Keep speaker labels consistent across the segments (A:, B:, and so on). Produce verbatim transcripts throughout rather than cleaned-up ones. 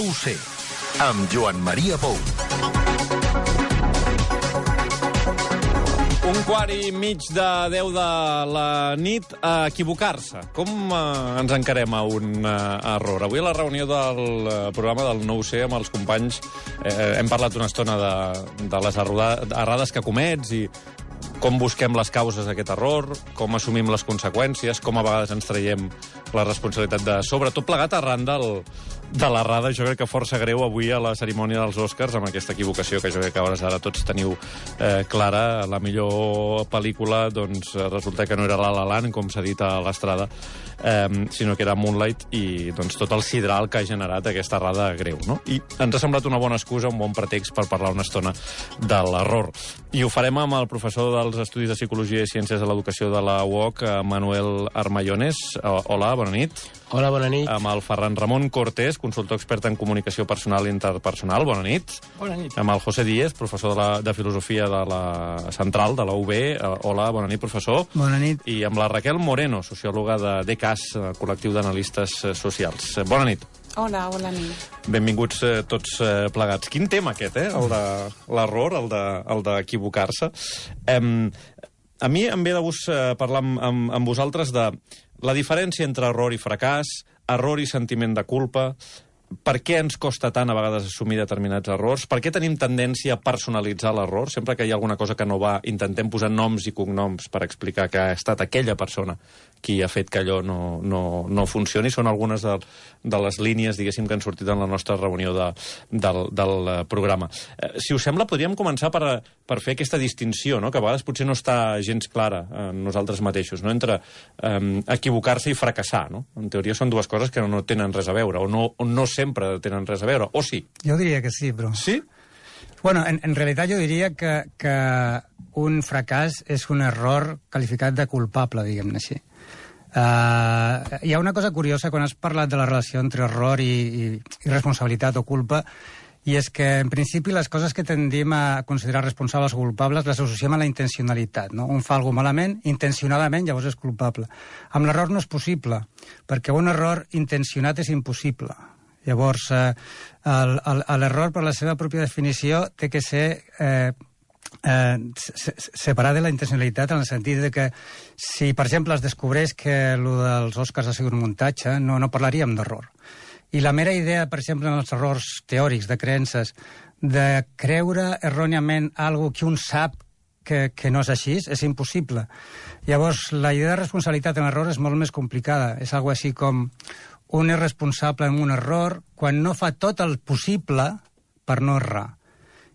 A: No ho sé, amb Joan Maria Pou.
B: Un quart i mig de deu de la nit a equivocar-se. Com eh, ens encarem a un eh, error? Avui a la reunió del eh, programa del No ho sé amb els companys eh, hem parlat una estona de, de les errades que comets i com busquem les causes d'aquest error, com assumim les conseqüències, com a vegades ens traiem la responsabilitat de sobre. Tot plegat arran del, de l'errada, jo crec que força greu avui a la cerimònia dels Oscars, amb aquesta equivocació que jo crec que a hores ara tots teniu eh, clara. La millor pel·lícula, doncs, resulta que no era La La Land, com s'ha dit a l'Estrada, eh, sinó que era Moonlight, i doncs, tot el sidral que ha generat aquesta errada greu, no? I ens ha semblat una bona excusa, un bon pretext per parlar una estona de l'error. I ho farem amb el professor dels Estudis de Psicologia i Ciències de l'Educació de la U O C, Manuel Armayones. Hola, bona nit.
C: Hola, bona nit.
B: Amb el Ferran Ramon Cortés, consultor expert en comunicació personal i interpersonal. Bona nit.
C: Bona nit.
B: Amb el José Díez, professor de, la, de Filosofia de la Central, de la U B. Hola, bona nit, professor.
D: Bona nit.
B: I amb la Raquel Moreno, sociòloga de D C A S, col·lectiu d'analistes socials. Bona nit.
E: Hola, bona nit.
B: Benvinguts eh, tots eh, plegats. Quin tema aquest, eh? El de l'error, el de, el d'equivocar-se. Eh, a mi em ve de gust eh, parlar amb, amb, amb vosaltres de la diferència entre error i fracàs, error i sentiment de culpa, per què ens costa tant a vegades assumir determinats errors, per què tenim tendència a personalitzar l'error, sempre que hi ha alguna cosa que no va, intentem posar noms i cognoms per explicar que ha estat aquella persona qui ha fet que allò no, no, no funcioni. Són algunes de, de les línies, diguéssim, que han sortit en la nostra reunió de, del, del programa. Eh, si us sembla, podríem començar per, per fer aquesta distinció, no? Que a vegades potser no està gens clara en nosaltres mateixos, no? Entre eh, equivocar-se i fracassar, no? En teoria són dues coses que no tenen res a veure, o no, o no sempre tenen res a veure, o sí?
D: Jo diria que sí, però...
B: Sí?
D: Bueno, en, en realitat jo diria que, que un fracàs és un error qualificat de culpable, diguem-ne així. Uh, hi ha una cosa curiosa quan has parlat de la relació entre error i, i, i responsabilitat o culpa, i és que, en principi, les coses que tendim a considerar responsables o culpables les associem a la intencionalitat, no? Un fa alguna cosa malament, intencionadament, llavors és culpable. Amb l'error no és possible, perquè un error intencionat és impossible. Llavors, eh, l'error, per la seva pròpia definició, té que ser eh, eh, separat de la intencionalitat, en el sentit de que si, per exemple, es descobreix que el dels Oscars ha sigut un muntatge, no, no parlaríem d'error. I la mera idea, per exemple, en els errors teòrics, de creences, de creure erròniament alguna que un sap que, que no és així, és impossible. Llavors, la idea de responsabilitat en l'error és molt més complicada. És algo així com un és responsable en un error quan no fa tot el possible per no errar.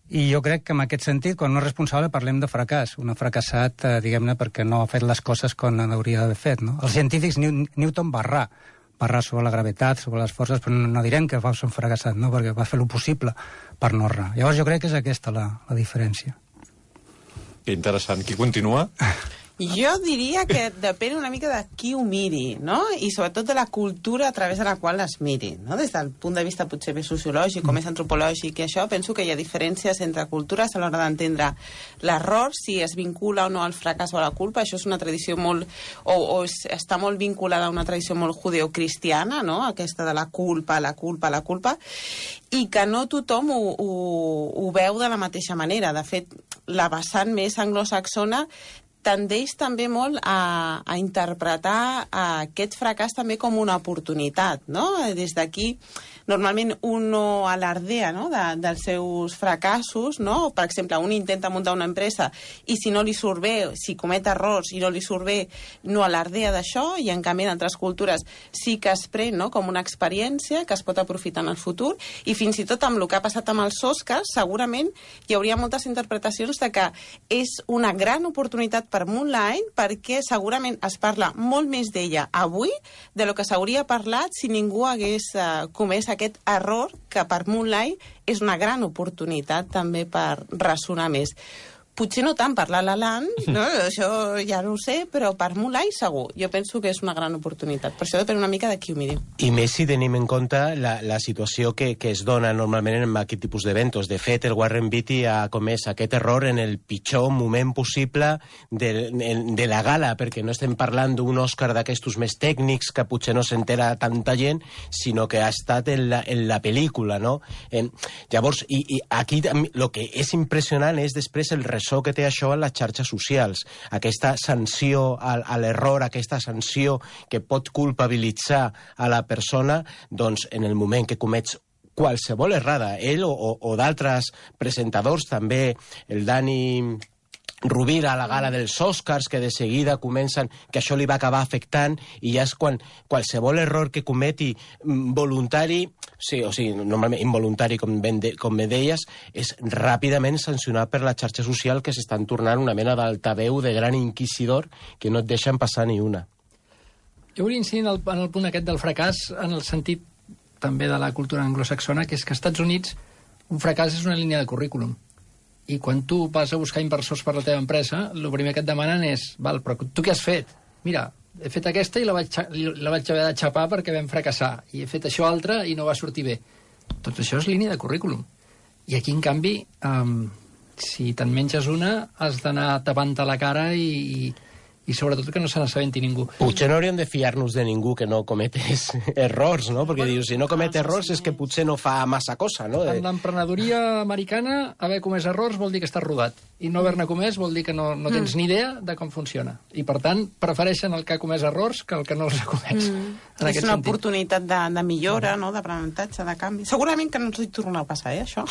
D: I jo crec que en aquest sentit, quan no és responsable, parlem de fracàs. Un ha fracassat, eh, diguem-ne, perquè no ha fet les coses com hauria d'haver fet, no? Els científics, Newton va errar. Va errar sobre la gravetat, sobre les forces, però no direm que va ser un fracassat, no? Perquè va fer el possible per no errar. Llavors jo crec que és aquesta la, la diferència.
B: Que interessant. Qui continua?
E: Jo diria que depèn una mica de qui ho miri, no? I sobretot de la cultura a través de la qual es miri, no? Des del punt de vista potser més sociològic o més antropològic i això, penso que hi ha diferències entre cultures a l'hora d'entendre l'error, si es vincula o no al fracàs o a la culpa. Això és una tradició molt... o, o es, està molt vinculada a una tradició molt judeocristiana, no? Aquesta de la culpa, la culpa, la culpa, i que no tothom ho, ho, ho veu de la mateixa manera. De fet, la vessant més anglosaxona tendeix també molt a, a interpretar a aquest fracàs també com una oportunitat, no? Des d'aquí, normalment un no alardea, no? de, dels seus fracassos, no? Per exemple, un intenta muntar una empresa i si no li surt bé, si comet errors i no li surt bé, no alardea d'això, i en canvi en altres cultures sí que es pren, no? Com una experiència que es pot aprofitar en el futur, i fins i tot amb el que ha passat amb els Oscars, segurament hi hauria moltes interpretacions de que és una gran oportunitat per Moonlight, perquè segurament es parla molt més d'ella avui de lo que s'hauria parlat si ningú hagués uh, comès aquest error, que per Moonlight és una gran oportunitat també per ressonar més. Potser no tant per La La Land, no? Això ja no ho sé, però per Mulai segur. Jo penso que és una gran oportunitat. Per això depèn una mica de qui ho miri.
C: I més si tenim en compte la, la situació que, que es dona normalment en aquest tipus d'eventos. De fet, el Warren Beatty ha comès aquest error en el pitjor moment possible de, de la gala, perquè no estem parlant d'un Òscar d'aquestos més tècnics que potser no s'entera tanta gent, sinó que ha estat en la, en la pel·lícula, no? Eh, llavors, i, i aquí el que és impressionant és després el ressò que té això en les xarxes socials. Aquesta sanció a, a l'error, aquesta sanció que pot culpabilitzar a la persona, doncs en el moment que comets qualsevol errada, ell o, o, o d'altres presentadors, també el Dani Rovira a la gala dels Oscars, que de seguida comencen que això li va acabar afectant, i ja és quan qualsevol error que cometi voluntari, sí, o sigui, normalment involuntari, com ben, de, com ben deies, és ràpidament sancionat per la xarxa social, que s'estan tornant una mena d'altaveu de gran inquisidor que no et deixen passar ni una.
F: Jo volia incidir en el, en el punt aquest del fracàs, en el sentit també de la cultura anglosaxona, que és que als Estats Units un fracàs és una línia de currículum. I quan tu vas a buscar inversors per la teva empresa, el primer que et demanen és, val, però tu què has fet? Mira, he fet aquesta i la vaig, la vaig haver de xapar perquè vam fracassar. I he fet això altre i no va sortir bé. Tot això és línia de currículum. I aquí, en canvi, um, si te'n menges una, has d'anar tapant-te la cara i... i i sobretot que no se n'assabenti ningú.
C: Potser no hauríem de fiar-nos de ningú que no cometés errors, no? Perquè dius, si no comet errors és que potser no fa massa cosa, no?
F: En l'emprenedoria americana, haver comès errors vol dir que estàs rodat. I no haver-ne comès vol dir que no, no tens ni idea de com funciona. I, per tant, prefereixen el que ha comès errors que el que no els ha comès. Mm. En
E: és una sentit. Oportunitat de, de millora, no? D'aprenentatge, de canvi. Segurament que no ens hi tornarà a passar, eh, això?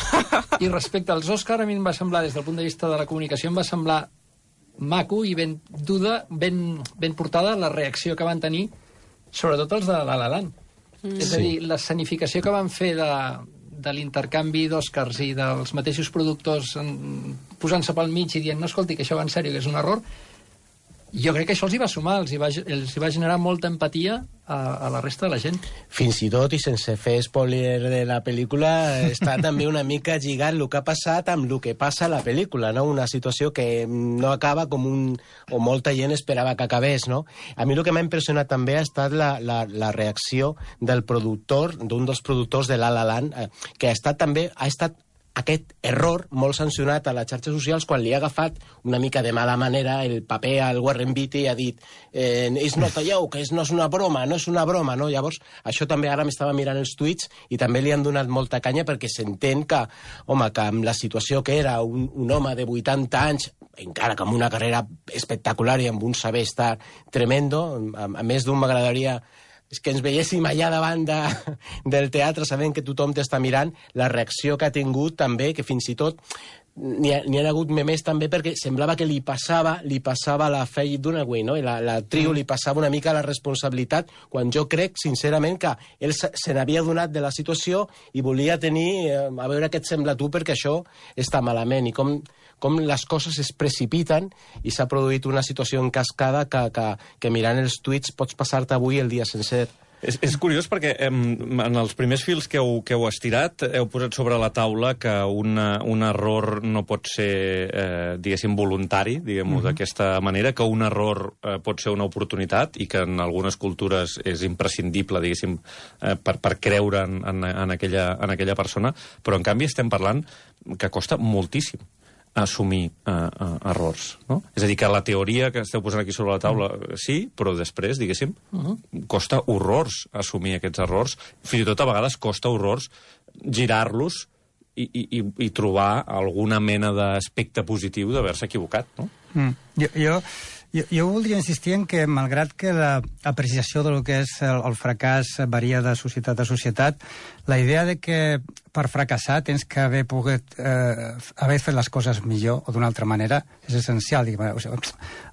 F: I respecte als Òscar, a mi em va semblar, des del punt de vista de la comunicació, em va semblar maco i ben duda, ben, ben portada la reacció que van tenir, sobretot els de La La Land. Mm. És a dir, la escenificació que van fer de, de l'intercanvi d'Òscars i dels mateixos productors posant-se pel mig i dient, no, escolti, que això va en sèrio, que és un error, jo crec que això els hi va sumar, els hi va, els hi va generar molta empatia a, a la resta de la gent.
C: Fins i tot, i sense fer spoiler de la pel·lícula, està també una mica lligat el que ha passat amb el que passa a la pel·lícula, no? Una situació que no acaba com un... o molta gent esperava que acabés, no? A mi el que m'ha impressionat també ha estat la, la, la reacció del productor, d'un dels productors de La La Land, eh, que ha estat també... ha estat aquest error molt sancionat a les xarxes socials quan li ha agafat una mica de mala manera el paper al Warren Beatty i ha dit eh, és not a joke, és, no és una broma, no és una broma, no? Llavors, això també ara m'estava mirant els tuits i també li han donat molta canya perquè s'entén que, home, que amb la situació que era un, un home de vuitanta anys, encara que amb una carrera espectacular i amb un saber estar tremendo, a, a més d'un m'agradaria és que ens veiéssim allà davant de, del teatre sabent que tothom t'està mirant, la reacció que ha tingut també, que fins i tot n'hi ha, ha hagut memes també perquè semblava que li passava li passava la Faye Dunaway, no? I la, la trio li passava una mica la responsabilitat, quan jo crec, sincerament, que ell se, se n'havia donat de la situació i volia tenir, eh, a veure què et sembla tu, perquè això està malament, i com, com les coses es precipiten i s'ha produït una situació en cascada que, que, que mirant els tuits pots passar-te avui el dia sencer.
B: És, és curiós perquè em, en els primers fils que heu, que heu estirat heu posat sobre la taula que una, un error no pot ser, eh, diguéssim, voluntari, diguem-ho mm-hmm. d'aquesta manera, que un error eh, pot ser una oportunitat i que en algunes cultures és imprescindible, diguéssim, eh, per, per creure en, en, en, aquella, en aquella persona, però en canvi estem parlant que costa moltíssim assumir uh, uh, errors, no? És a dir, que la teoria que esteu posant aquí sobre la taula, sí, però després, diguéssim, uh-huh. costa horrors assumir aquests errors. Fins i tot a vegades costa horrors girar-los i, i, i trobar alguna mena d'aspecte positiu d'haver-se equivocat, no?
D: Mm. Jo, jo, jo, jo voldria insistir en que, malgrat que l'apreciació del que és el, el fracàs varia de societat a societat, la idea de que per fracassar tens que haver pogut eh, haver fet les coses millor o d'una altra manera és essencial. O sigui,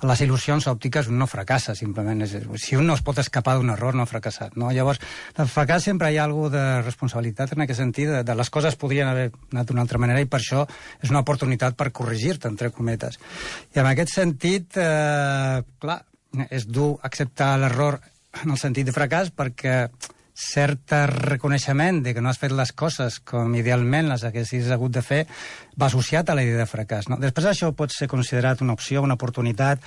D: les il·lusions òptiques un no fracassa, simplement. És, si un no es pot escapar d'un error, no ha fracassat. No? Llavors, el fracàs sempre hi ha alguna de responsabilitat en aquest sentit, de, de les coses podrien haver anat d'una altra manera i per això és una oportunitat per corregir-te, entre cometes. I en aquest sentit, eh, clar, és dur acceptar l'error en el sentit de fracàs perquè cert reconeixement de que no has fet les coses com idealment les haguessis hagut de fer, va associat a la idea de fracàs. No? Després això pot ser considerat una opció, una oportunitat,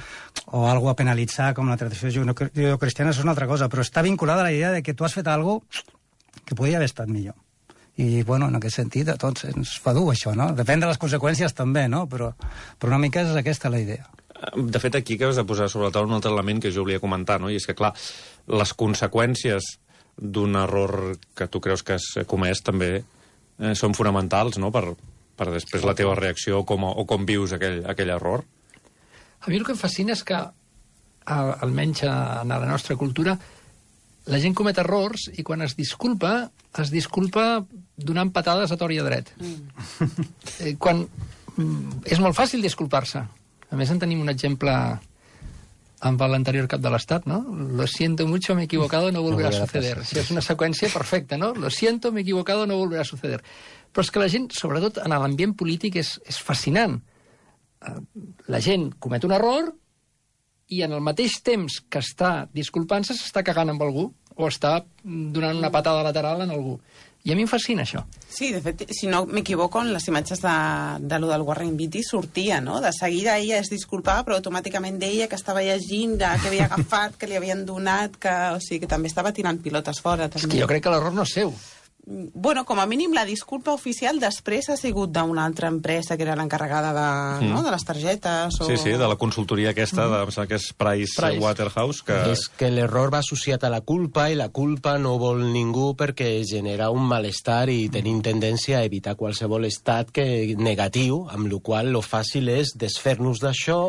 D: o algo a penalitzar, com la tradició judeocristiana, això és una altra cosa, però està vinculada a la idea de que tu has fet alguna cosa que podia haver estat millor. I, bueno, en aquest sentit, a tots ens fa dur, això, no? Depèn de les conseqüències, també, no? Però, però una mica és aquesta la idea.
B: De fet, aquí acabes de posar sobre la taula un altre element que jo volia comentar, no? I és que, clar, les conseqüències d'un error que tu creus que has comès també eh, són fonamentals, no?, per, per després la teva reacció com, o com vius aquell, aquell error.
F: A mi el que em fascina és que, almenys en la nostra cultura, la gent comet errors i quan es disculpa, es disculpa donant patades a tort i a dret. Mm. Eh, quan... És molt fàcil disculpar-se. A més, en tenim un exemple amb l'anterior cap de l'Estat, no? Lo siento mucho, me he equivocado, no volverá a suceder. Si és una seqüència perfecta, no? Lo siento, me he equivocado, no volverá a suceder. Però és que la gent, sobretot en l'ambient polític, és, és fascinant. La gent comet un error i en el mateix temps que està disculpant-se s'està cagant amb algú o està donant una patada lateral en algú. I a mi em fascina això.
E: Sí, de fet, si no m'equivoco, en les imatges de, de lo del Warren Beatty sortia, no? De seguida ella es disculpava, però automàticament deia que estava llegint, que havia agafat, que li havien donat, que, o sigui, que també estava tirant pilotes fora. També.
F: És que jo crec que l'error no és seu.
E: Bueno, com a mínim la disculpa oficial després ha sigut d'una altra empresa que era l'encarregada de, mm. no? de les targetes. O...
B: Sí, sí, de la consultoria aquesta, mm. de, que és Price, Price. Waterhouse. Que...
C: És que l'error va associat a la culpa i la culpa no vol ningú perquè genera un malestar i tenim tendència a evitar qualsevol estat que negatiu, amb la qual lo fàcil és desfer-nos d'això,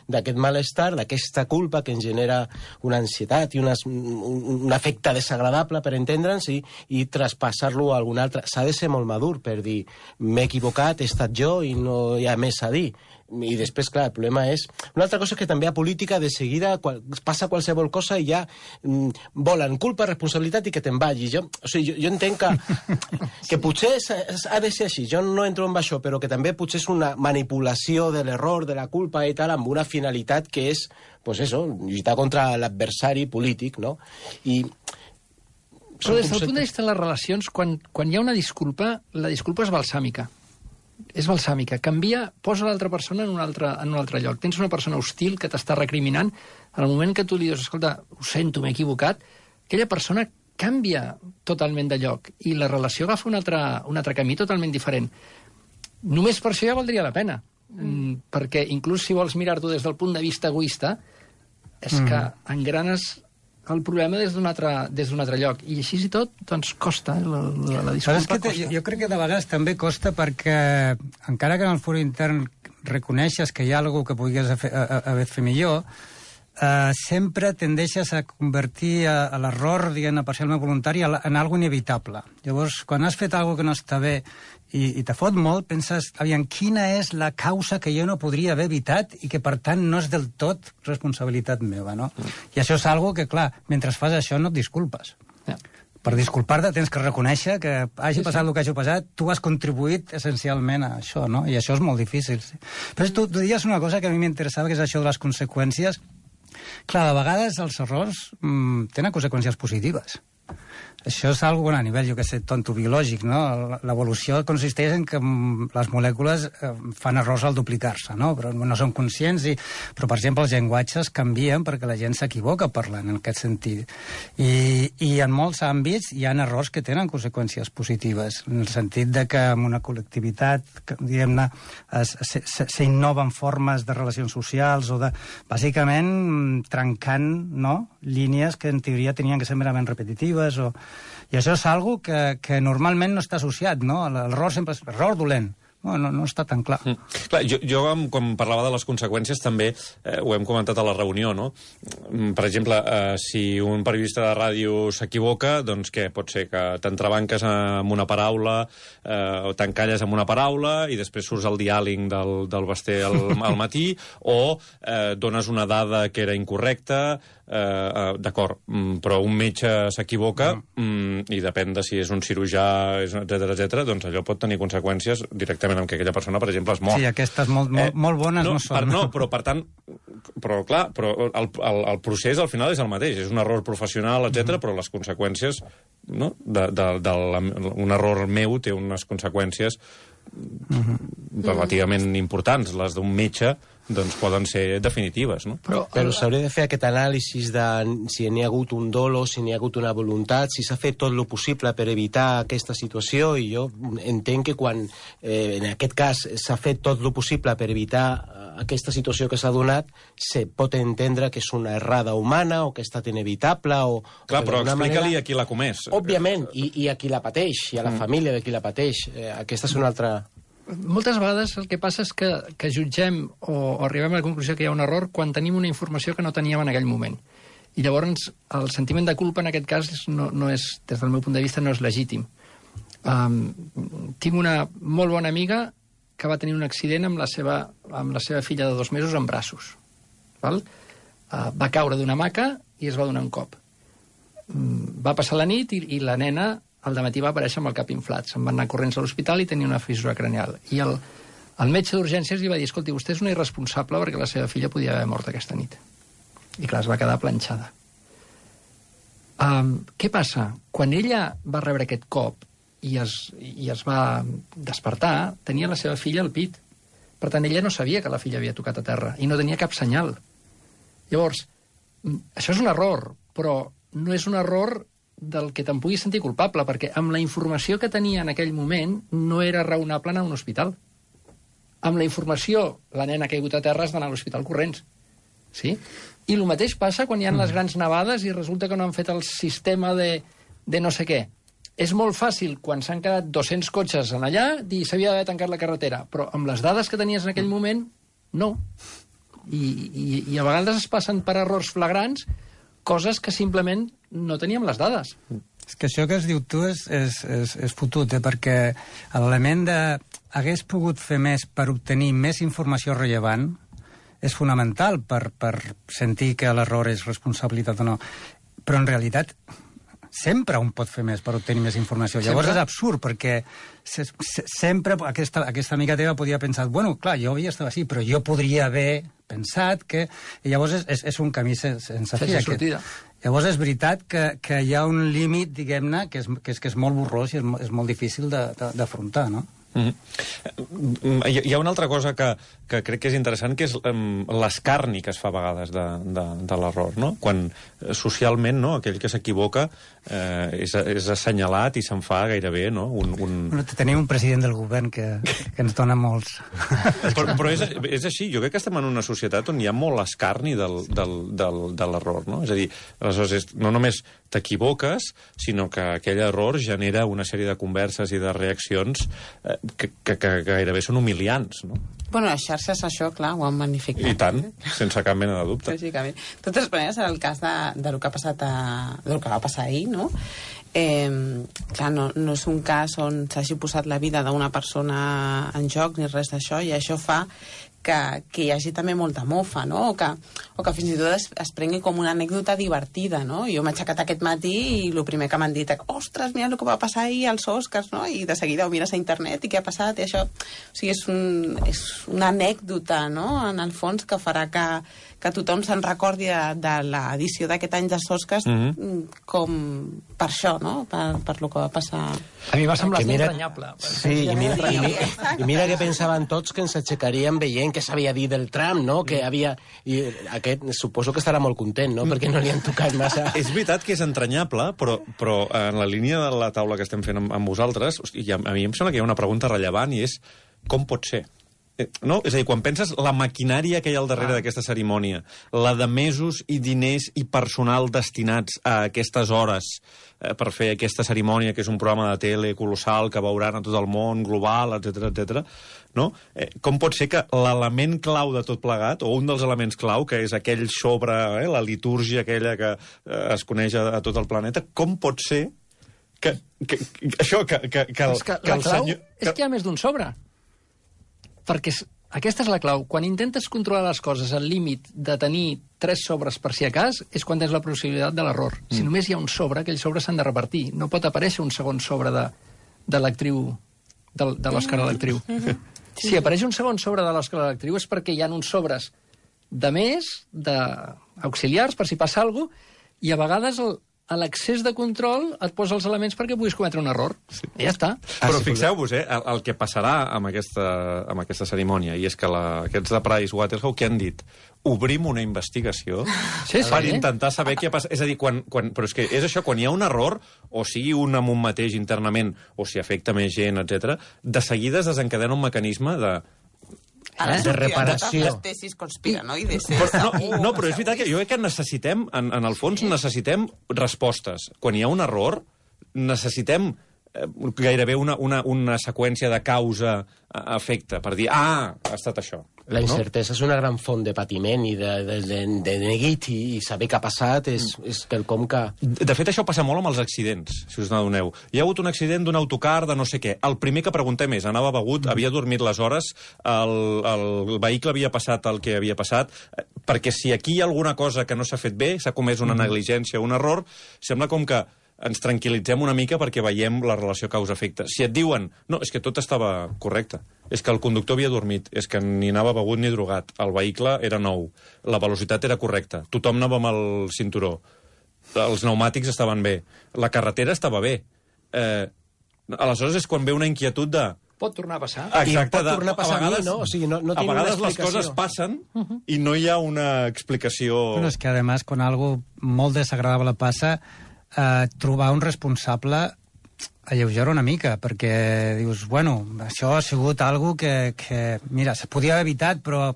C: d'aquest malestar, d'aquesta culpa que ens genera una ansietat i una, un, un efecte desagradable, per entendre'ns, i, i traspassar a algun altre. S'ha de ser molt madur per dir m'he equivocat, he estat jo i no hi ha més a dir. I després, clar, el problema és... Una altra cosa és que també a política de seguida qual, passa qualsevol cosa i ja mm, volen culpa, responsabilitat i que te'n vagis. Jo, o sigui, jo, jo entenc que, que potser ha de ser així. Jo no entro en això, però que també potser és una manipulació de l'error, de la culpa i tal, amb una finalitat que és, pues eso, lluitar contra l'adversari polític, no? I...
F: Però des del punt de vista de les relacions, quan, quan hi ha una disculpa, la disculpa és balsàmica. És balsàmica. Canvia, posa l'altra persona en un altre, en un altre lloc. Tens una persona hostil que t'està recriminant. En el moment que tu li dius, escolta, ho sento, m'he equivocat, aquella persona canvia totalment de lloc i la relació agafa un altre, un altre camí totalment diferent. Només per això ja valdria la pena. Mm. Perquè inclús si vols mirar-t'ho des del punt de vista egoista, és mm. que engranes el problema des d'un altre, des d'un altre lloc. I així i tot, doncs costa, la, la, la disculpa
D: és que te,
F: costa.
D: Jo crec que de vegades també costa perquè, encara que en el foro intern reconeixes que hi ha alguna que podries haver fet millor, eh, sempre tendeixes a convertir a, a l'error, diguem-ne, parcialment voluntari en algo inevitable. Llavors, quan has fet alguna que no està bé i, i te fot molt, penses, aviam, quina és la causa que jo no podria haver evitat i que, per tant, no és del tot responsabilitat meva, no? Mm. I això és algo que, clar, mentre fas això no et disculpes. Yeah. Per disculpar-te tens que reconèixer que hagi sí, passat sí. el que hagi passat, tu has contribuït essencialment a això, no? I això és molt difícil. Sí. Però tu, tu diries una cosa que a mi m'interessava, que és això de les conseqüències. Clar, de vegades els errors mmm, tenen conseqüències positives. Això és algo, bueno, a nivell, jo què sé, tonto biològic, no? L'evolució consisteix en que les molècules fan errors al duplicar-se, no? Però no són conscients. I... Però, per exemple, els llenguatges canvien perquè la gent s'equivoca parlant en aquest sentit. I, I en molts àmbits hi ha errors que tenen conseqüències positives, en el sentit de que en una col·lectivitat, diguem-ne, s'innoven formes de relacions socials o de, bàsicament, trencant, no?, línies que en teoria tenien que ser merament repetitives o... I això és algo que, que normalment no està associat, no? L'error sempre és error dolent. No, no, no està tan clar.
B: Mm. Clar, jo, jo, quan parlava de les conseqüències, també eh, ho hem comentat a la reunió, no? Per exemple, eh, si un periodista de ràdio s'equivoca, doncs què? Pot ser que t'entrebanques amb una paraula eh, o t'encalles amb una paraula i després surts al diàleg del, del Basté al, al matí, o eh, dones una dada que era incorrecta, eh, eh, d'acord, però un metge s'equivoca mm. i depèn de si és un cirurgià, etcètera, etcètera, doncs allò pot tenir conseqüències directament amb que aquella persona, per exemple, es mor.
D: Sí, aquestes molt, molt, eh, molt bones no, no són.
B: Per, no, però per tant, però clar, però el, el, el procés al final és el mateix. És un error professional, etcètera, mm-hmm. però les conseqüències, no? de, de, de la, un error meu té unes conseqüències mm-hmm. relativament importants. Les d'un metge doncs poden ser definitives, no?
C: Però, Però s'hauria de fer aquest anàlisi de si n'hi ha hagut un dolo, si n'hi ha hagut una voluntat, si s'ha fet tot el possible per evitar aquesta situació, i jo entenc que quan, eh, en aquest cas, s'ha fet tot el possible per evitar aquesta situació que s'ha donat, se pot entendre que és una errada humana o que ha estat inevitable o...
B: Clar,
C: o
B: però explica-li
C: manera...
B: a qui l'ha comès.
C: Òbviament, i, i a qui la pateix, i a la mm. família de qui la pateix. Eh, aquesta és una altra...
F: Moltes vegades el que passa és que, que jutgem o, o arribem a la conclusió que hi ha un error quan tenim una informació que no teníem en aquell moment. I llavors el sentiment de culpa en aquest cas no, no és, des del meu punt de vista, no és legítim. Um, tinc una molt bona amiga que va tenir un accident amb la seva, amb la seva filla de dos mesos en braços. Val? Uh, va caure d'una hamaca i es va donar un cop. Um, va passar la nit i, i la nena al dematí va aparèixer amb el cap inflat. Se'n van anar corrents a l'hospital i tenia una fissura cranial. I el, el metge d'urgències li va dir: escolti, vostè és una irresponsable perquè la seva filla podia haver mort aquesta nit. I clar, es va quedar planxada. Um, què passa? Quan ella va rebre aquest cop i es, i es va despertar, tenia la seva filla al pit. Per tant, ella no sabia que la filla havia tocat a terra i no tenia cap senyal. Llavors, això és un error, però no és un error del que te'n puguis sentir culpable, perquè amb la informació que tenia en aquell moment no era raonable anar a un hospital. Amb la informació, la nena ha caigut a terra, has d'anar a l'hospital corrents. Sí? I el mateix passa quan hi ha les grans nevades i resulta que no han fet el sistema de, de no sé què. És molt fàcil, quan s'han quedat dos-cents cotxes en allà, dir s'havia d'haver tancat la carretera, però amb les dades que tenies en aquell moment, no. I, i, i a vegades es passen per errors flagrants coses que simplement no teníem les dades.
D: És que això que es diu tu és, és, és, és fotut, eh? Perquè l'element de hagués pogut fer més per obtenir més informació rellevant és fonamental per, per sentir que l'error és responsabilitat o no. Però en realitat sempre un pot fer més per obtenir més informació. Sempre? Llavors és absurd, perquè se, se, sempre aquesta, aquesta amiga teva podia pensar, bueno, clar, jo havia estat així, però jo podria haver pensat que... I llavors és, és, és un camí sense, sense fi.
F: sortida.
D: Llavors és veritat que, que hi ha un límit, diguem-ne, que, és, que, és, que és molt borrós i és, és molt difícil d'afrontar, no?
B: Mm-hmm. Hi, hi ha una altra cosa que, que crec que és interessant, que és um, l'escarni que es fa a vegades de, de, de l'error, no? Quan socialment, no, aquell que s'equivoca eh, és, és assenyalat i se'n fa gairebé, no? Un, un...
D: Bueno, tenim un president del govern que, que ens dona molts.
B: Però, però és, és així, jo crec que estem en una societat on hi ha molt escarni del, del, del, de l'error, no? És a dir, aleshores, és, no només t'equivoques, sinó que aquell error genera una sèrie de converses i de reaccions eh, que, que, que gairebé són humiliants, no?
E: Bueno, les xarxes això, clar, ho han magnificat.
B: I tant, sense cap mena de dubte.
E: Lògicament. De totes maneres, en el cas de, de lo que ha passat a, del que va passar ahir, no? Eh, clar, no, no és un cas on s'hagi posat la vida d'una persona en joc ni res d'això, i això fa que, que hi hagi també molta mofa, no? O que, o que fins i tot es, es prengui com una anècdota divertida, no? Jo m'he aixecat aquest matí i el primer que m'han dit és, ostres, mira el que va passar ahir als Oscars, no? I de seguida ho mires a internet i què ha passat i això... O sigui, és, un, és una anècdota, no? En el fons, que farà que, que tothom se'n recordi de, de l'edició d'aquest any dels Oscars mm-hmm. com per això, no? Per, per lo que va passar...
F: A mi va semblar
C: mira,
F: entranyable.
C: Sí, i mira, i, mira, i mira que pensaven tots que ens aixecaríem veient que s'havia dit del Trump, no? Que havia... I aquest suposo que estarà molt content, no? Perquè no li han tocat massa...
B: És veritat que és entranyable, però, però en la línia de la taula que estem fent amb, amb vosaltres, hosti, a mi em sembla que hi ha una pregunta rellevant i és com pot ser? No? És a dir, quan penses la maquinària que hi ha al darrere ah. d'aquesta cerimònia, la de mesos i diners i personal destinats a aquestes hores eh, per fer aquesta cerimònia, que és un programa de tele colossal que veuran a tot el món, global, etcètera, etcètera, no? Eh, com pot ser que l'element clau de tot plegat, o un dels elements clau, que és aquell sobre, eh, la litúrgia aquella que eh, es coneix a, a tot el planeta, com pot ser que, que, que això, que, que, que, el,
F: és que,
B: que
F: el
B: el
F: clau
B: senyor...
F: és que hi ha més d'un sobre. Perquè aquesta és la clau. Quan intentes controlar les coses al límit de tenir tres sobres per si a cas, és quan tens la possibilitat de l'error. Mm. Si només hi ha un sobre, aquells sobres s'han de repartir. No pot aparèixer un segon sobre de, de l'actriu, de, de l'Òscar a l'actriu. Mm-hmm. Si apareix un segon sobre de l'Òscar a l'actriu és perquè hi ha uns sobres de més, d'auxiliars, per si passa alguna cosa, i a vegades el, a l'excés de control et posa els elements perquè puguis cometre un error. Sí. I ja està.
B: Però fixeu-vos, eh, el, el que passarà amb aquesta, amb aquesta cerimònia, i és que la, aquests de Pricewaterhouse, què han dit? Obrim una investigació
F: sí, sí,
B: per
F: eh?
B: intentar saber què ha passat. És a dir, quan, quan, però és que és això, quan hi ha un error, o sigui un amb un mateix internament, o si afecta més gent, etcètera, de seguida es desencadena un mecanisme de...
E: Ara
C: Eh?
E: de
C: reparació.
E: les tesis conspiranoides.
B: Però, no, no, però és veritat que jo crec que necessitem, en, en el fons, necessitem respostes. Quan hi ha un error, necessitem eh, gairebé una, una, una seqüència de causa-efecte per dir, ah, ha estat això.
C: La incertesa és una gran font de patiment i de, de, de, de neguit i, i saber què ha passat és, és quelcom que...
B: De fet, això passa molt amb els accidents, si us n'adoneu. Hi ha hagut un accident d'un autocar de no sé què. El primer que preguntem és, anava begut, havia dormit les hores, el, el vehicle havia passat el que havia passat, perquè si aquí hi ha alguna cosa que no s'ha fet bé, s'ha comès una negligència, un error, sembla com que ens tranquil·litzem una mica perquè veiem la relació causa-efecte. Si et diuen, no, és que tot estava correcte, és que el conductor havia dormit, és que ni anava begut ni drogat, el vehicle era nou, la velocitat era correcta, tothom anava amb el cinturó, els pneumàtics estaven bé, la carretera estava bé. Eh, aleshores és quan ve una inquietud de...
F: Pot tornar a passar.
B: Exacte,
C: pot tornar a passar a mi, no? O sigui, no- no
B: a
C: tinc una
B: vegades les
C: explicació.
B: coses passen i no hi ha una explicació...
D: Bueno, és que, además, quan algo molt desagradable passa, eh, trobar un responsable alleugera una mica, perquè dius, bueno, això ha sigut algo que, que mira, se podia haver evitat, però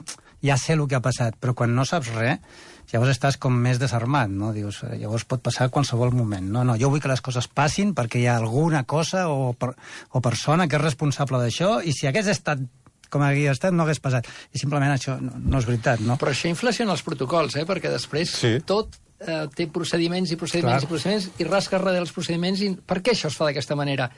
D: ja sé el que ha passat. Però quan no saps res, llavors estàs com més desarmat, no? Dius, llavors pot passar a qualsevol moment. No, no, jo vull que les coses passin perquè hi ha alguna cosa o, per, o persona que és responsable d'això, i si hagués estat com havia estat, no hagués passat. I simplement això no, no és veritat, no?
F: Però això inflaciona els protocols, eh? Perquè després
B: Sí.
F: tot eh, té procediments i procediments
D: Clar.
F: i procediments i rasques darrere els procediments. I per què això es fa d'aquesta manera?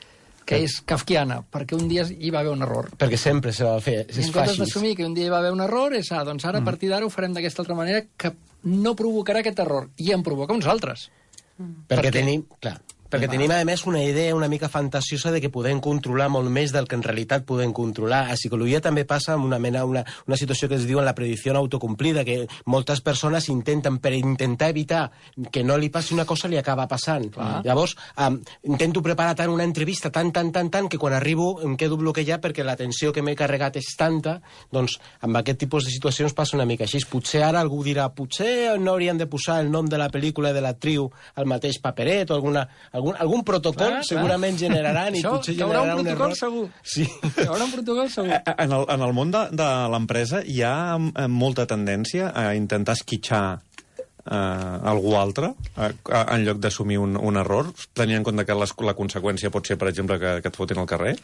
F: Que és kafkiana, perquè un dia hi va haver un error.
C: Perquè sempre se va fer,
F: I
C: és
F: en comptes
C: fàcil.
F: d'assumir que un dia hi va haver un error, és, ah, doncs ara a partir d'ara ho farem d'aquesta altra manera que no provocarà aquest error, i en provoca uns altres.
C: Perquè
F: Per què?
C: tenim, clar, perquè tenim, a més, una idea una mica fantasiosa de que podem controlar molt més del que en realitat podem controlar. A psicologia també passa amb una mena, una, una situació que es diu la predicció autocomplida, que moltes persones intenten, per intentar evitar que no li passi una cosa, li acaba passant.
F: Clar.
C: Llavors, um, intento preparar tant una entrevista, tant, tant, tant, tant, que quan arribo em quedo bloquejat perquè la tensió que m'he carregat és tanta, doncs amb aquest tipus de situacions passa una mica així. Potser ara algú dirà, potser no haurien de posar el nom de la pel·lícula i de l'actriu al mateix paperet, o alguna, algun, algun protocol
F: Clar, clar.
C: segurament generaran i
F: Això,
C: potser
F: hi haurà un
C: generaran un
F: protocol
C: error.
F: segur.
C: Sí.
F: Hi haurà un protocol segur.
B: En el, en el món de, de l'empresa hi ha eh, molta tendència a intentar esquitxar eh, algú altre eh, en lloc d'assumir un, un error, tenint en compte que les, la conseqüència pot ser, per exemple, que, que et fotin al carrer?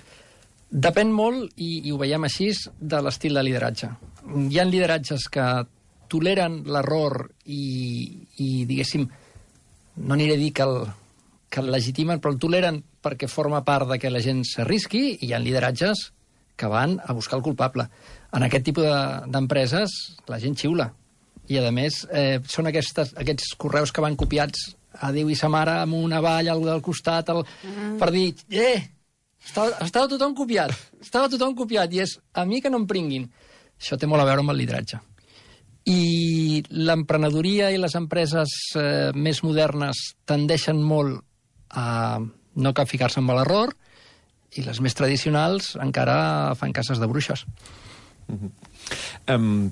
F: Depèn molt, i, i ho veiem així, de l'estil de lideratge. Hi ha lideratges que toleren l'error i, i, diguéssim, no aniré a dir que el, que el legitimen, però el toleren perquè forma part de que la gent s'arrisqui, i hi ha lideratges que van a buscar el culpable. En aquest tipus de- d'empreses, la gent xiula. I, a més, eh, són aquestes, aquests correus que van copiats a Déu i sa mare amb una valla al del costat el, per dir, eh, estava, estava tothom copiat, estava tothom copiat, i és a mi que no em pringuin. Això té molt a veure amb el lideratge. I l'emprenedoria i les empreses eh, més modernes tendeixen molt a no capficar-se amb l'error, i les més tradicionals encara fan cases de bruixes.
B: Um,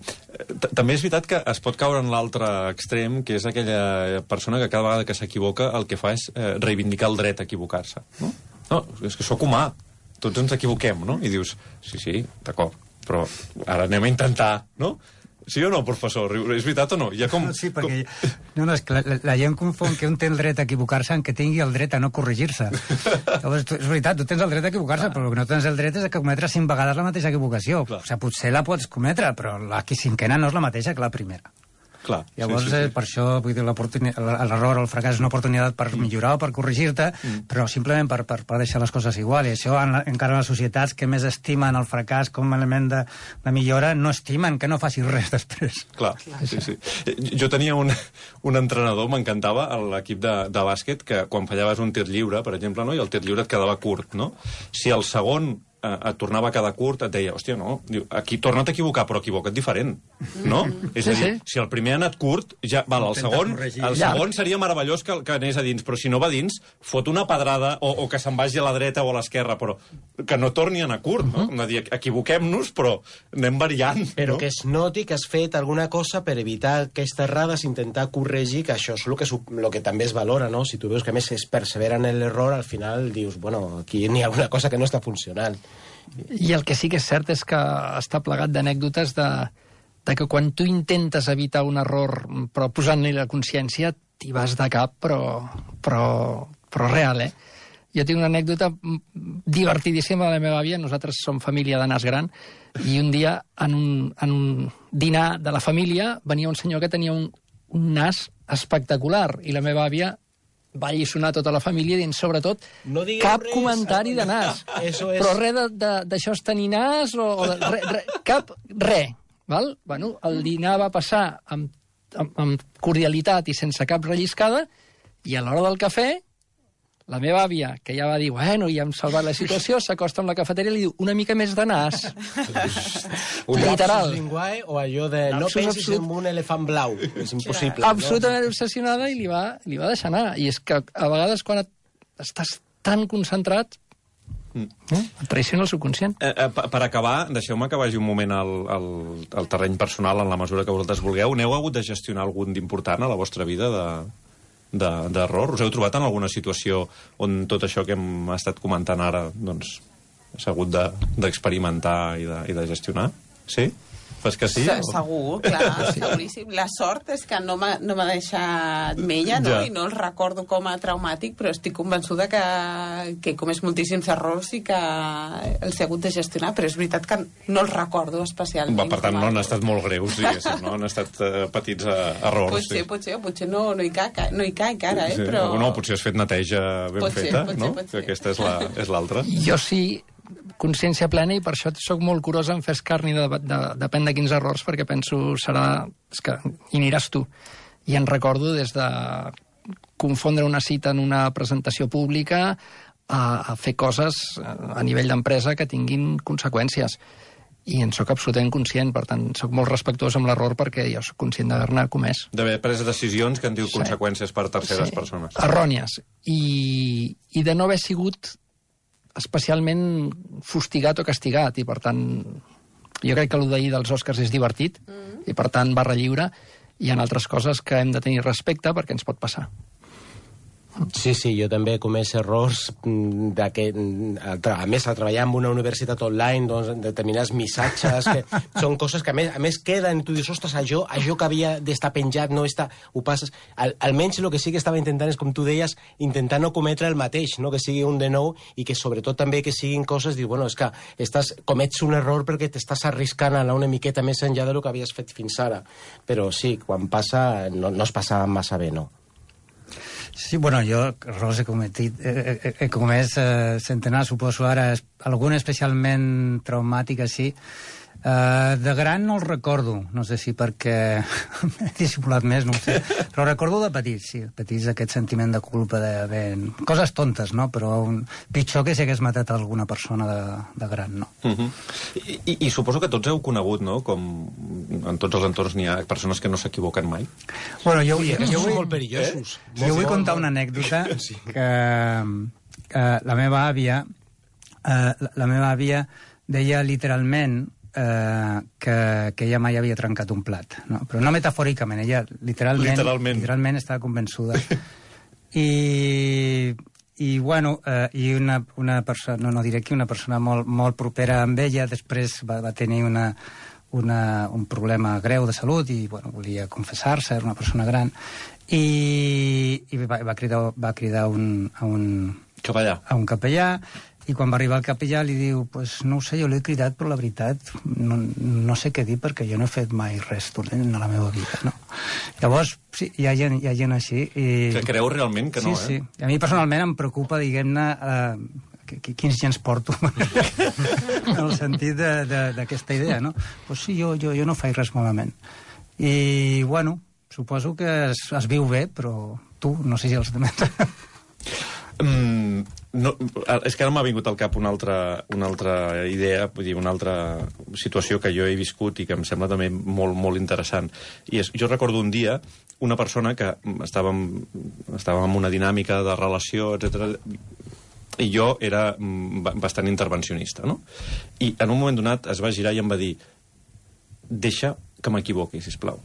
B: també és veritat que es pot caure en l'altre extrem, que és aquella persona que cada vegada que s'equivoca el que fa és eh, reivindicar el dret a equivocar-se. No? No, és que sóc humà, tots ens equivoquem, no? I dius, sí, sí, d'acord, però ara anem a intentar, no? Sí o no, professor? És veritat o no? Hi ha com...
D: Sí, perquè...
B: Com...
D: No, no, és que la, la, la gent confon que un té el dret a equivocar-se en que tingui el dret a no corregir-se. Llavors, tu, és veritat, tu tens el dret a equivocar-se, però el que no tens el dret és a cometre cinc vegades la mateixa equivocació.
B: Clar.
D: O sigui, potser la pots cometre, però la cinquena no és la mateixa que la primera.
B: Clar,
D: Llavors,
B: sí, sí, sí.
D: Eh, per això, vull dir, l'oportuni- l'error o el fracàs és una oportunitat per millorar o per corregir-te, mm. però simplement per, per, per deixar les coses igual. I això, en la, encara en les societats que més estimen el fracàs com a element de, de millora, no estimen que no facis res després.
B: Clar, sí, sí. Jo tenia un, un entrenador, m'encantava, a l'equip de, de bàsquet, que quan fallaves un tir lliure, per exemple, no? I el tir lliure et quedava curt, no? Si el segon eh, et tornava a quedar curt, et deia, hòstia, no, diu, aquí torna't a equivocar, però equivoca't diferent, no? Mm. És a dir, sí, sí. Si el primer ha anat curt, ja, val, el segon, el segon seria meravellós que, que anés a dins, però si no va dins, fot una pedrada, o, o que se'n vagi a la dreta o a l'esquerra, però que no torni a anar curt, no? Com de dir, equivoquem-nos, però anem variant,
C: però
B: no?
C: que es noti que has fet alguna cosa per evitar aquestes errades, intentar corregir, que això és el que, el que també es valora, no? Si tu veus que a més es persevera en l'error, al final dius, bueno, aquí n'hi ha alguna cosa que no està funcionant.
F: I el que sí que és cert és que està plegat d'anècdotes de, de que quan tu intentes evitar un error, però posant-li la consciència, t'hi vas de cap, però, però, però real, eh? Jo tinc una anècdota divertidíssima de la meva àvia. Nosaltres som família de nas gran, i un dia, en un, en un dinar de la família, venia un senyor que tenia un, un nas espectacular, i la meva àvia va alliçonar tota la família dient, sobretot,
C: no
F: cap
C: res,
F: comentari de nas.
C: Eso es...
F: Però res d'això és tenir nas, o, o de, re, re, cap, res. Val? Bueno, el dinar va passar amb, amb, amb cordialitat i sense cap relliscada, i a l'hora del cafè, la meva àvia, que ja va dir, bueno, ja hem salvat la situació, s'acosta amb la cafeteria i li diu, una mica més de nas.
C: Un
F: literal.
C: lapsus linguae o allò de no
F: Lapsus
C: pensis
F: absolut.
C: en un elefant blau. És impossible.
F: Absolutament
C: no?
F: obsessionada, i li va, li va deixar anar. I és que a vegades quan et, estàs tan concentrat, mm. eh, et traiciona el subconscient.
B: Eh, eh, per acabar, deixeu-me que vagi un moment al, al, al terreny personal en la mesura que vosaltres vulgueu. N'heu hagut de gestionar algun d'important a la vostra vida de... d'error? Us heu trobat en alguna situació on tot això que hem estat comentant ara doncs s'ha hagut d'experimentar de, i, de, i de gestionar? Sí? Fas que sí?
E: Se, segur, clar, seguríssim. La sort és que no m'ha no deixat mella, no? Ja. I no el recordo com a traumàtic, però estic convençuda que, que he comès moltíssims errors i que els he hagut de gestionar, però és veritat que no els recordo especialment.
B: Va, per tant, no han estat molt greus, diguéssim, no? Han estat uh, petits uh, errors.
E: Potser,
B: sí.
E: potser, potser no, no, hi caic, no hi caic ara, eh?
B: Sí.
E: Però...
B: No, potser has fet neteja ben
E: potser,
B: feta,
E: potser,
B: no?
E: Potser.
B: Que aquesta és l'altra. La,
F: jo sí, consciència plena, i per això sóc molt curosa en fer escarni de, de, de, depèn de quins errors, perquè penso serà... És que hi aniràs tu. I en recordo des de confondre una cita en una presentació pública a, a fer coses a nivell d'empresa que tinguin conseqüències. I en sóc absolutament conscient, per tant, sóc molt respectuós amb l'error perquè jo sóc conscient d'haver-ne comès.
B: D'haver pres decisions que han tingut
F: sí.
B: conseqüències per terceres
F: sí.
B: persones.
F: Errònies. I, i de no haver sigut especialment fustigat o castigat, i per tant jo crec que el d'ahir dels Oscars és divertit, mm. i per tant barra lliure. Hi ha altres coses que hem de tenir respecte perquè ens pot passar.
C: Sí, sí, jo també he comès errors de que, a més, a treballar en una universitat online, doncs, determinats missatges, que són coses que a més, a més queden, i tu dius, ostres, això, això que havia d'estar penjat no està, ho passes... Al, almenys el que sí que estava intentant és, com tu deies, intentar no cometre el mateix, no? Que sigui un de nou, i que sobretot també que siguin coses, dius, bueno, és que estàs, comets un error perquè t'estàs arriscant a anar una miqueta més enllà del que havies fet fins ara. Però sí, quan passa, no, no es passa massa bé, no?
D: Sí, bueno, jo errors he cometit, he, he, he comès eh, centenars, suposo ara, algun especialment traumàtic així. Uh, de gran no el recordo, no sé si perquè he dissimulat més, no ho sé, però recordo de petit, sí, petits, aquest sentiment de culpa, de, de coses tontes, no? Però un, pitjor que si hagués matat alguna persona de, de gran, no?
B: Uh -huh. I, i, I suposo que tots heu conegut, no?, com en tots els entorns n'hi ha persones que no s'equivoquen mai.
D: Bueno, jo,
C: sí,
D: jo, jo vull,
C: molt perillosos.
D: Eh? Jo vull contar una anècdota sí. que, que la meva àvia, eh, la, la meva àvia deia literalment Eh, que, que ella mai havia trencat un plat, no? Però no metafòricament, ella literalment,
B: literalment.
D: literalment estava convençuda. I, i bueno, eh, i una, una persona, no, no diré que una persona molt, molt propera amb ella, després va, va tenir una, una, un problema greu de salut i bueno, volia confessar-se, era una persona gran, i, i va, va cridar, va cridar un, a un
B: capellà.
D: a un capellà. I quan va arribar el capellà li diu, pues no ho sé, jo l'he cridat, però la veritat no, no sé què dir perquè jo no he fet mai res dolent a la meva vida, no? Llavors, sí, hi ha gent, hi ha gent així. I...
B: Que creu realment que no,
D: sí,
B: eh?
D: Sí, a mi personalment em preocupa, diguem-ne, eh, quins gens porto, en el sentit d'aquesta idea, no? Pues sí, jo, jo, jo no faig res malament. I, bueno, suposo que es, es viu bé, però tu, no sé si els demés...
B: Mm, no, és que ara m'ha vingut al cap una altra, una altra idea, vull dir, una altra situació que jo he viscut i que em sembla també molt, molt interessant. I és, jo recordo un dia una persona que estàvem, estàvem en una dinàmica de relació, etcètera, i jo era bastant intervencionista, no? I en un moment donat es va girar i em va dir: deixa que m'equivoqui, sisplau.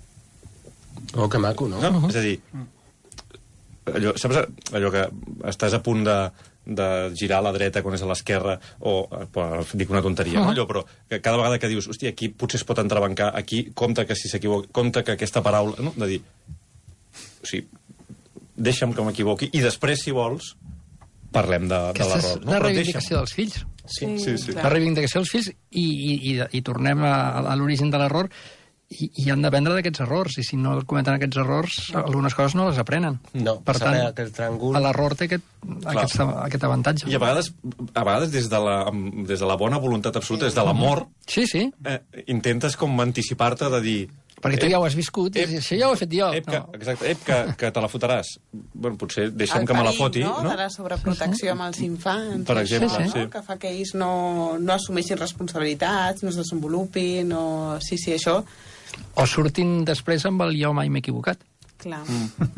C: Oh, que maco, no?
B: No? Uh -huh. És a dir, allò, saps allò que estàs a punt de, de girar a la dreta quan és a l'esquerra, o, dic una tonteria, uh -huh. no? Allò, però que cada vegada que dius, hòstia, aquí potser es pot entrebancar, aquí, compte que si s'equivoca, compte que aquesta paraula, no? De dir, o sigui, deixa'm que m'equivoqui, i després, si vols, parlem de, de l'error.
F: Aquesta és
B: no?
F: la
B: Però
F: reivindicació
B: deixa'm.
F: dels fills.
B: Sí, sí, sí.
F: La reivindicació dels fills, i, i, i, i tornem a, a l'origen de l'error, i, i han d'aprendre d'aquests errors, i si no cometen aquests errors, algunes coses no les aprenen.
C: No,
F: per tant,
C: aquest tràngol...
F: l'error té aquest, aquest, aquest avantatge.
B: I a vegades, a vegades des, de la, des de la bona voluntat absoluta, des de l'amor,
F: Sí, sí,
B: eh, intentes com anticipar-te de dir...
F: perquè tu ja ho has viscut, i
B: ep,
F: això ja ho he fet jo.
B: Ep, que,
F: No.
B: exacte, ep, que, que te la fotràs. Bueno, potser deixa'm
E: el
B: que me la
E: perill,
B: foti,
E: no?
B: no?
E: De la sobreprotecció amb els infants.
B: Per exemple,
E: això,
B: sí.
E: no? Que fa que ells no, no assumeixin responsabilitats, no es desenvolupin, no... Sí, sí, això...
F: O surtin després amb el jo mai m'he equivocat.
E: Clar.
B: Mm.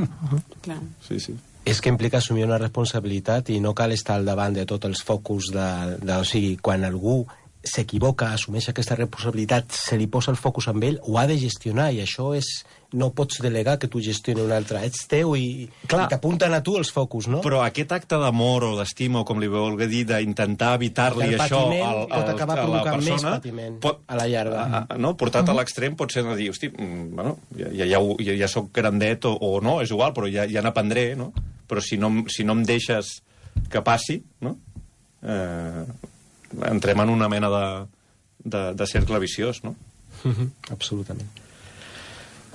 E: Clar.
B: Sí, sí.
C: És que implica assumir una responsabilitat i no cal estar al davant de tots els focus de, de, o sigui, quan algú s'equivoca, assumeix aquesta responsabilitat, se li posa el focus amb ell, ho ha de gestionar, i això és... No pots delegar que tu gestioni un altre. Ets teu i,
B: Clar.
C: i t'apunten a tu els focus, no?
B: Però aquest acte d'amor o d'estima, o com li vulgui dir, d'intentar evitar-li
C: El
B: això
C: patiment
B: al, al,
C: pot acabar
B: a la
C: provocant
B: persona...
C: més patiment a la llarga.
B: A, a, no? Portat a l'extrem pot ser de dir, hosti, mm, bueno, ja, ja, ja, ho- ja, ja soc grandet o, o no, és igual, però ja, ja n'aprendré, no? Però si no, em- si no em deixes que passi, no? Eh, entrem en una mena de, de, de cercle viciós, no?
C: Absolutament.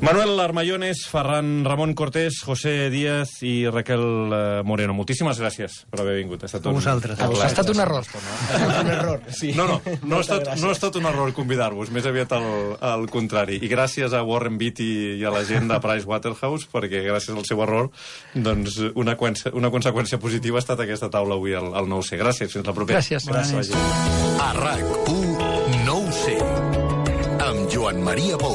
B: Manuel Armayones, Ferran Ramon Cortés, José Díaz i Raquel eh, Moreno. Moltíssimes gràcies per haver vingut. Ha estat
D: A
B: un,
D: vosaltres.
B: un
F: Ha
B: plaer.
F: estat un error.
C: Ha estat un error, sí.
B: No, no, no ha,
C: Moltes
B: estat,
C: gràcies.
B: no ha estat un error convidar-vos, més aviat al, al contrari. I gràcies a Warren Beatty i a la gent de Pricewaterhouse, perquè gràcies al seu error, doncs una, conseqüència, una conseqüència positiva ha estat aquesta taula avui al, al nou C. Gràcies, fins la propera.
F: Gràcies.
B: Gràcies.
A: A RAC u, no ho sé, amb Joan Maria Pou.